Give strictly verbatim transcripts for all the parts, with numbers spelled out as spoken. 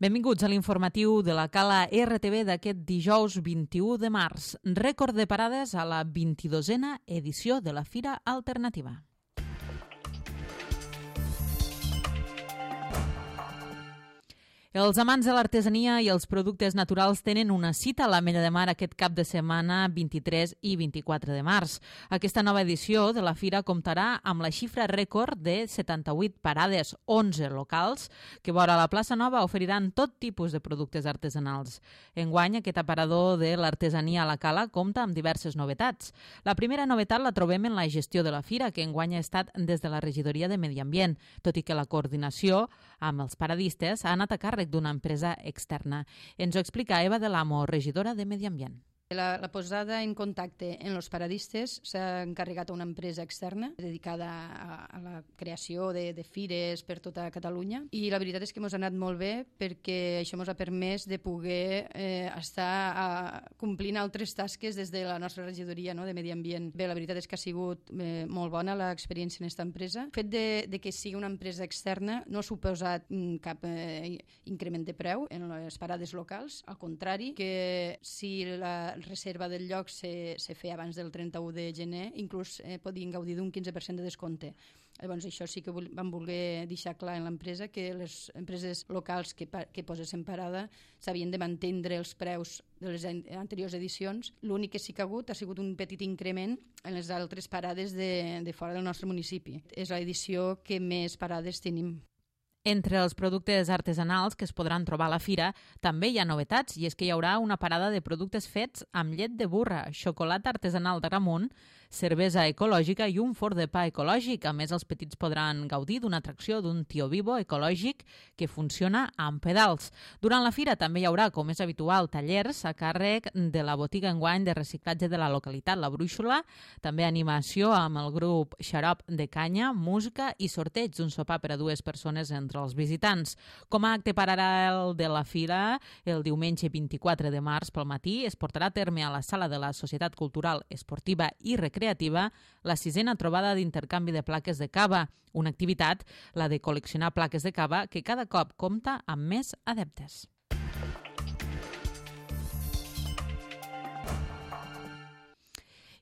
Benvinguts a l'informatiu de la Cala R T V d'aquest dijous vint-i-u de març. Rècord de parades a la vint-i-dosena edició de la Fira Alternativa. Els amants de l'artesania i els productes naturals tenen una cita a l'Ametlla de Mar aquest cap de setmana vint-i-tres i vint-i-quatre de març. Aquesta nova edició de la fira comptarà amb la xifra rècord de setanta-vuit parades, onze locals, que vora la plaça Nova oferiran tot tipus de productes artesanals. Enguany, aquest aparador de l'artesania a la Cala compta amb diverses novetats. La primera novetat la trobem en la gestió de la fira, que enguany ha estat des de la regidoria de Medi Ambient, tot i que la coordinació amb els paradistes ha anat a càrrec d'una empresa externa. Ens ho explica Eva de l'Amo, regidora de Medi Ambient. La, la posada en contacte en els paradistes s'ha encarregat a una empresa externa dedicada a, a la creació de, de fires per tota Catalunya, i la veritat és que ens ha anat molt bé perquè això ens ha permès de poder eh, estar a, complint altres tasques des de la nostra regidoria, no?, de Medi Ambient. Bé, la veritat és que ha sigut eh, molt bona l'experiència en aquesta empresa. El fet de, de que sigui una empresa externa no ha suposat mm, cap eh, increment de preu en les parades locals, al contrari, que si la reserva del lloc se, se feia abans del trenta-u de gener, inclús eh, podien gaudir d'un quinze per cent de descompte. Llavors, això sí que vam voler deixar clar en l'empresa, que les empreses locals que, que posessin parada s'havien de mantenir els preus de les anteriors edicions. L'únic que sí que ha hagut ha sigut un petit increment en les altres parades de, de fora del nostre municipi. És l'edició que més parades tenim. Entre els productes artesanals que es podran trobar a la fira també hi ha novetats, i és que hi haurà una parada de productes fets amb llet de burra, xocolata artesanal d'Agramunt, cervesa ecològica i un forn de pa ecològic. A més, els petits podran gaudir d'una atracció d'un tio vivo ecològic que funciona amb pedals. Durant la fira també hi haurà, com és habitual, tallers a càrrec de la botiga enguany de reciclatge de la localitat, la Brúixola, també animació amb el grup Xarop de Canya, música i sorteig d'un sopar per a dues persones entre els visitants. Com a acte paral·lel de la fira, el diumenge vint-i-quatre de març pel matí es portarà a terme a la sala de la Societat Cultural, Esportiva i Recreativa la sisena trobada d'intercanvi de plaques de cava, una activitat, la de col·leccionar plaques de cava, que cada cop compta amb més adeptes.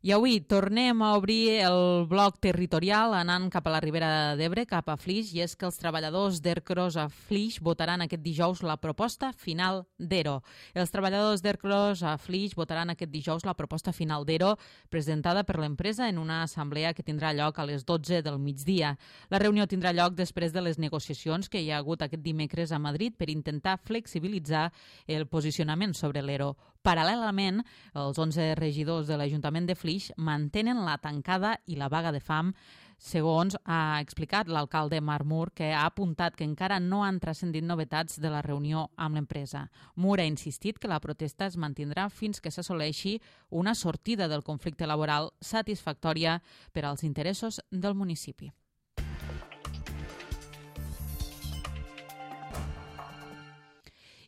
I avui tornem a obrir el bloc territorial anant cap a la Ribera d'Ebre, cap a Flix, i és que els treballadors d'Ercros a Flix votaran aquest dijous la proposta final d'Ero. Els treballadors d'Ercros a Flix votaran aquest dijous la proposta final d'Ero presentada per l'empresa en una assemblea que tindrà lloc a les dotze del migdia. La reunió tindrà lloc després de les negociacions que hi ha hagut aquest dimecres a Madrid per intentar flexibilitzar el posicionament sobre l'Ero. Paral·lelament, els onze regidors de l'Ajuntament de Flix mantenen la tancada i la vaga de fam, segons ha explicat l'alcalde Marc Mur, que ha apuntat que encara no han transcendit novetats de la reunió amb l'empresa. Mur ha insistit que la protesta es mantindrà fins que s'assoleixi una sortida del conflicte laboral satisfactòria per als interessos del municipi.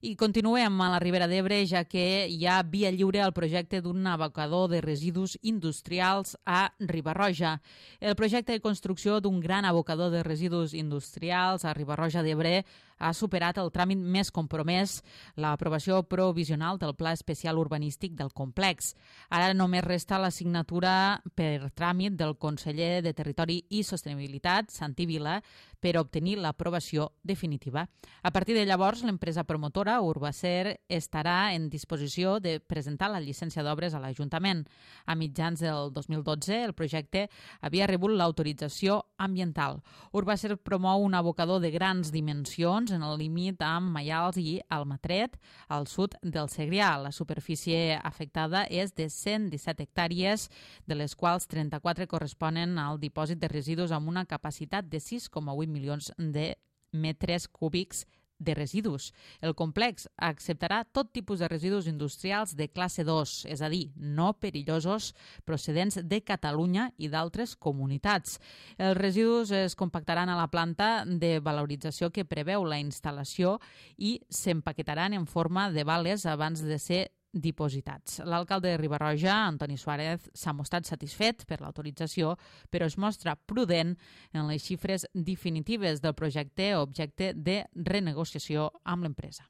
I continuem a la Ribera d'Ebre, ja que hi ha via lliure al projecte d'un abocador de residus industrials a Riba-roja. El projecte de construcció d'un gran abocador de residus industrials a Riba-roja d'Ebre ha superat el tràmit més compromès, l'aprovació provisional del Pla Especial Urbanístic del complex. Ara només resta la signatura per tràmit del conseller de Territori i Sostenibilitat, Santi Vila, per obtenir l'aprovació definitiva. A partir de llavors, l'empresa promotora Urbacer estarà en disposició de presentar la llicència d'obres a l'Ajuntament. A mitjans del dos mil dotze, el projecte havia rebut l'autorització ambiental. Urbacer promou un abocador de grans dimensions en el límit amb Maials i Almatret, al sud del Segrià. La superfície afectada és de cent disset hectàrees, de les quals trenta-quatre corresponen al dipòsit de residus amb una capacitat de sis coma vuit milions de metres cúbics de residus. El complex acceptarà tot tipus de residus industrials de classe dos, és a dir, no perillosos, procedents de Catalunya i d'altres comunitats. Els residus es compactaran a la planta de valorització que preveu la instal·lació i s'empaquetaran en forma de bales abans de ser dipositats. L'alcalde de Riba-roja, Antoni Suárez, s'ha mostrat satisfet per l'autorització, però es mostra prudent en les xifres definitives del projecte objecte de renegociació amb l'empresa.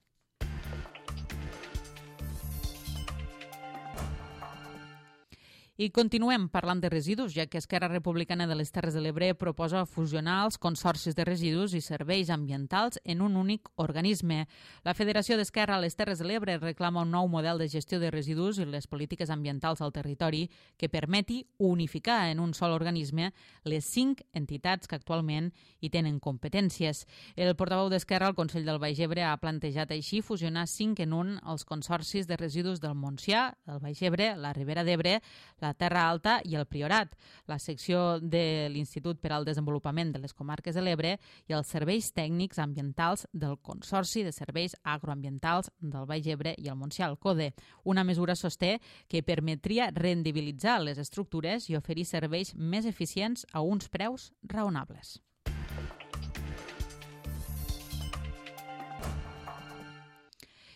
I continuem parlant de residus, ja que Esquerra Republicana de les Terres de l'Ebre proposa fusionar els consorcis de residus i serveis ambientals en un únic organisme. La Federació d'Esquerra a les Terres de l'Ebre reclama un nou model de gestió de residus i les polítiques ambientals al territori que permeti unificar en un sol organisme les cinc entitats que actualment hi tenen competències. El portaveu d'Esquerra al Consell del Baix Ebre ha plantejat així fusionar cinc en un els consorcis de residus del Montsià, el Baix Ebre, la Ribera d'Ebre, la Terra Alta i el Priorat, la secció de l'Institut per al Desenvolupament de les Comarques de l'Ebre i els serveis tècnics ambientals del Consorci de Serveis Agroambientals del Baix Ebre i el Montsià, el CODE. Una mesura, sosté, que permetria rendibilitzar les estructures i oferir serveis més eficients a uns preus raonables.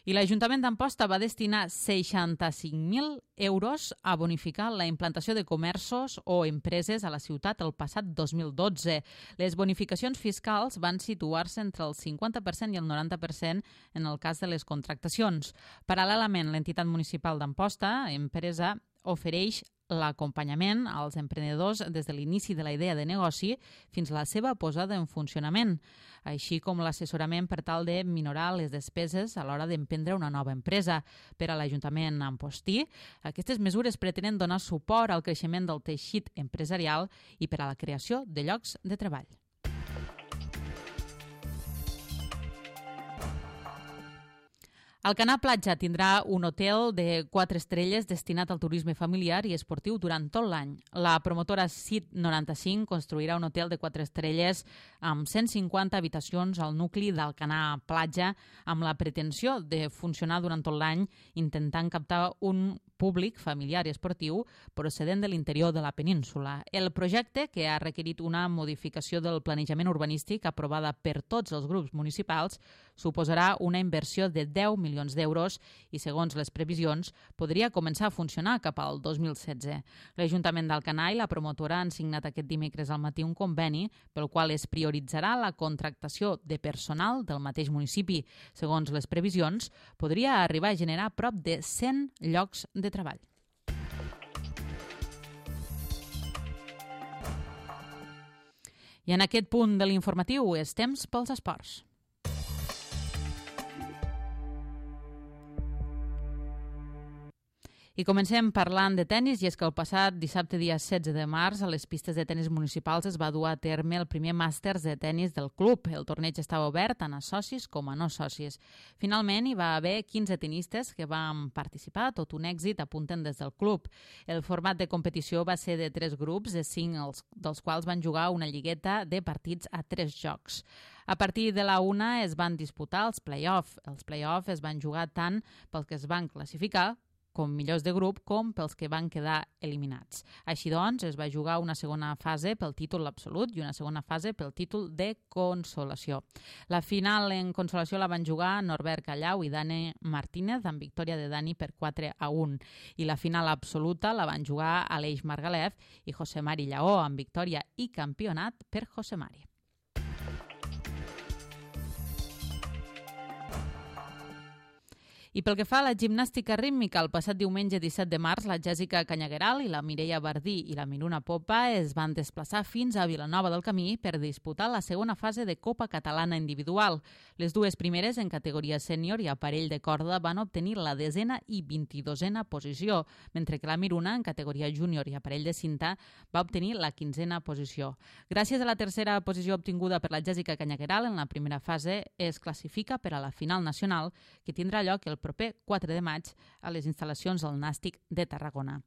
I l'Ajuntament d'Amposta va destinar seixanta-cinc mil euros a bonificar la implantació de comerços o empreses a la ciutat el passat dos mil dotze. Les bonificacions fiscals van situar-se entre el cinquanta per cent i el noranta per cent en el cas de les contractacions. Paral·lelament, l'entitat municipal d'Amposta, empresa, ofereix l'acompanyament als emprenedors des de l'inici de la idea de negoci fins a la seva posada en funcionament, així com l'assessorament per tal de minorar les despeses a l'hora d'emprendre una nova empresa. Per a l'Ajuntament ampostí, aquestes mesures pretenen donar suport al creixement del teixit empresarial i per a la creació de llocs de treball. Alcanar Platja tindrà un hotel de quatre estrelles destinat al turisme familiar i esportiu durant tot l'any. La promotora C I T noranta-cinc construirà un hotel de quatre estrelles amb cent cinquanta habitacions al nucli d'Alcanar Platja amb la pretensió de funcionar durant tot l'any intentant captar un públic familiar i esportiu procedent de l'interior de la península. El projecte, que ha requerit una modificació del planejament urbanístic aprovada per tots els grups municipals, suposarà una inversió de deu milions d'euros i, segons les previsions, podria començar a funcionar cap al dos mil setze. L'Ajuntament d'Alcanar i la promotora han signat aquest dimecres al matí un conveni pel qual es prioritzarà la contractació de personal del mateix municipi. Segons les previsions, podria arribar a generar prop de cent llocs de treball. I en aquest punt de l'informatiu és temps pels esports. I comencem parlant de tennis, i és que el passat dissabte dia setze de març a les pistes de tennis municipals es va dur a terme el primer màsters de tennis del club. El torneig estava obert tant a socis com a no socis. Finalment hi va haver quinze tenistes que van participar, tot un èxit, apunten des del club. El format de competició va ser de tres grups, de cinc dels quals van jugar una lligueta de partits a tres jocs. A partir de la una es van disputar els play-off. Els play-off es van jugar tant pels que es van classificar com millors de grup, com pels que van quedar eliminats. Així doncs, es va jugar una segona fase pel títol absolut i una segona fase pel títol de consolació. La final en consolació la van jugar Norbert Callau i Dani Martínez, amb victòria de Dani per quatre a un. I la final absoluta la van jugar Aleix Margalef i José Mari Lleó, amb victòria i campionat per José Mari. I pel que fa a la gimnàstica rítmica, el passat diumenge disset de març, la Jèssica Canyagueral i la Mireia Bardí i la Miruna Popa es van desplaçar fins a Vilanova del Camí per disputar la segona fase de Copa Catalana Individual. Les dues primeres, en categoria sènior i aparell de corda, van obtenir la desena i vint-i-dosena posició, mentre que la Miruna, en categoria júnior i aparell de cinta, va obtenir la quinzena posició. Gràcies a la tercera posició obtinguda per la Jèssica Canyagueral en la primera fase, es classifica per a la final nacional, que tindrà lloc el proper quatre de maig a les instal·lacions del Nàstic de Tarragona.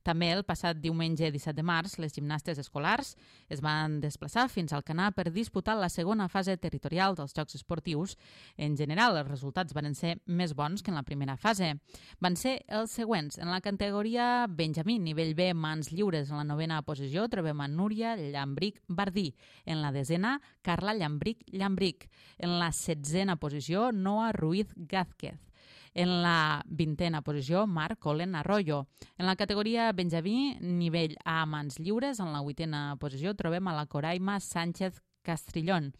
També el passat diumenge disset de març, les gimnastes escolars es van desplaçar fins al Alcanar per disputar la segona fase territorial dels Jocs Esportius. En general, els resultats van ser més bons que en la primera fase. Van ser els següents. En la categoria Benjamí, nivell B, mans lliures, en la novena posició trobem a Núria Llambric Bardí. En la desena, Carla Llambric Llambric. En la setzena posició, Noa Ruiz Gázquez. En la vintena posició, Marc Colen Arroyo. En la categoria Benjamí, nivell A, mans lliures, en la vuitena posició trobem a la Coraima Sánchez Castrillón.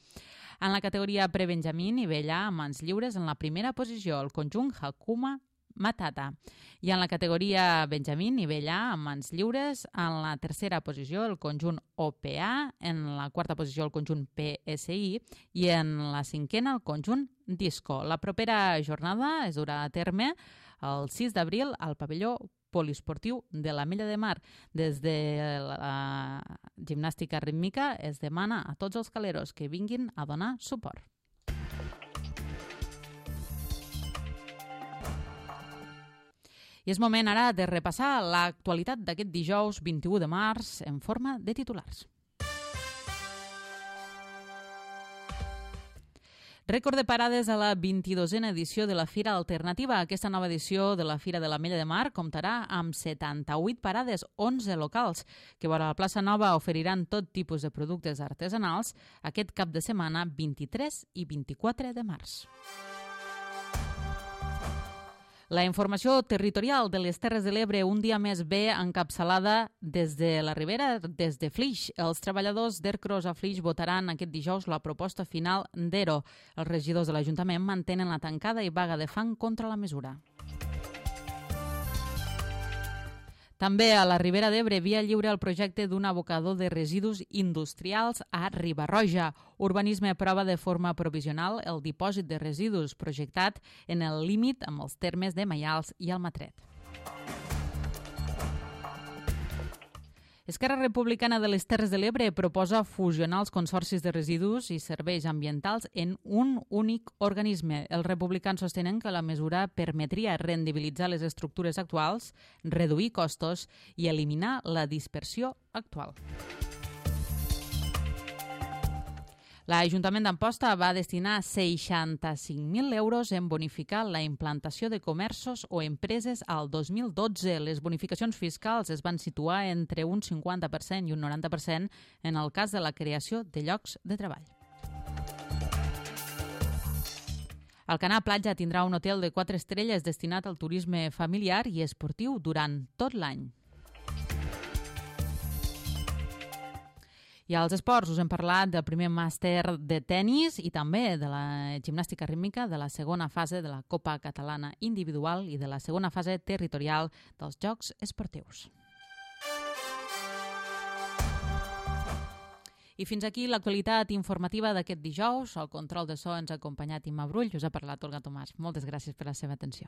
En la categoria prebenjamí, nivell A, mans lliures, en la primera posició, el conjunt Hakuma Matata. I en la categoria Benjamín, nivell A, amb mans lliures, en la tercera posició el conjunt O P A, en la quarta posició el conjunt P S I i en la cinquena el conjunt Disco. La propera jornada es durà a terme el sis d'abril al pavelló poliesportiu de l'Ametlla de Mar. Des de la gimnàstica rítmica es demana a tots els caleros que vinguin a donar suport. I és moment ara de repassar l'actualitat d'aquest dijous vint-i-u de març en forma de titulars. Rècord de parades a la vint-i-dosena edició de la Fira Alternativa. Aquesta nova edició de la Fira de l'Ametlla de Mar comptarà amb setanta-vuit parades, onze locals, que vora la plaça Nova oferiran tot tipus de productes artesanals aquest cap de setmana vint-i-tres i vint-i-quatre de març. La informació territorial de les Terres de l'Ebre un dia més ve encapçalada des de la Ribera, des de Flix. Els treballadors d'Ercros a Flix votaran aquest dijous la proposta final d'Ero. Els regidors de l'Ajuntament mantenen la tancada i vaga de fang contra la mesura. També a la Ribera d'Ebre, via lliure el projecte d'un abocador de residus industrials a Riba-roja. Urbanisme aprova de forma provisional el dipòsit de residus projectat en el límit amb els termes de Maials i Almatret. Esquerra Republicana de les Terres de l'Ebre proposa fusionar els consorcis de residus i serveis ambientals en un únic organisme. Els republicans sostenen que la mesura permetria rendibilitzar les estructures actuals, reduir costos i eliminar la dispersió actual. L'Ajuntament d'Amposta va destinar seixanta-cinc mil euros en bonificar la implantació de comerços o empreses al dos mil dotze. Les bonificacions fiscals es van situar entre un cinquanta per cent i un noranta per cent en el cas de la creació de llocs de treball. Alcanar Platja tindrà un hotel de quatre estrelles destinat al turisme familiar i esportiu durant tot l'any. I als esports us hem parlat del primer màster de tennis i també de la gimnàstica rítmica, de la segona fase de la Copa Catalana Individual i de la segona fase territorial dels Jocs Esportius. I fins aquí l'actualitat informativa d'aquest dijous. Al control de so ens ha acompanyat Imma Brull, us ha parlat Olga Tomàs. Moltes gràcies per la seva atenció.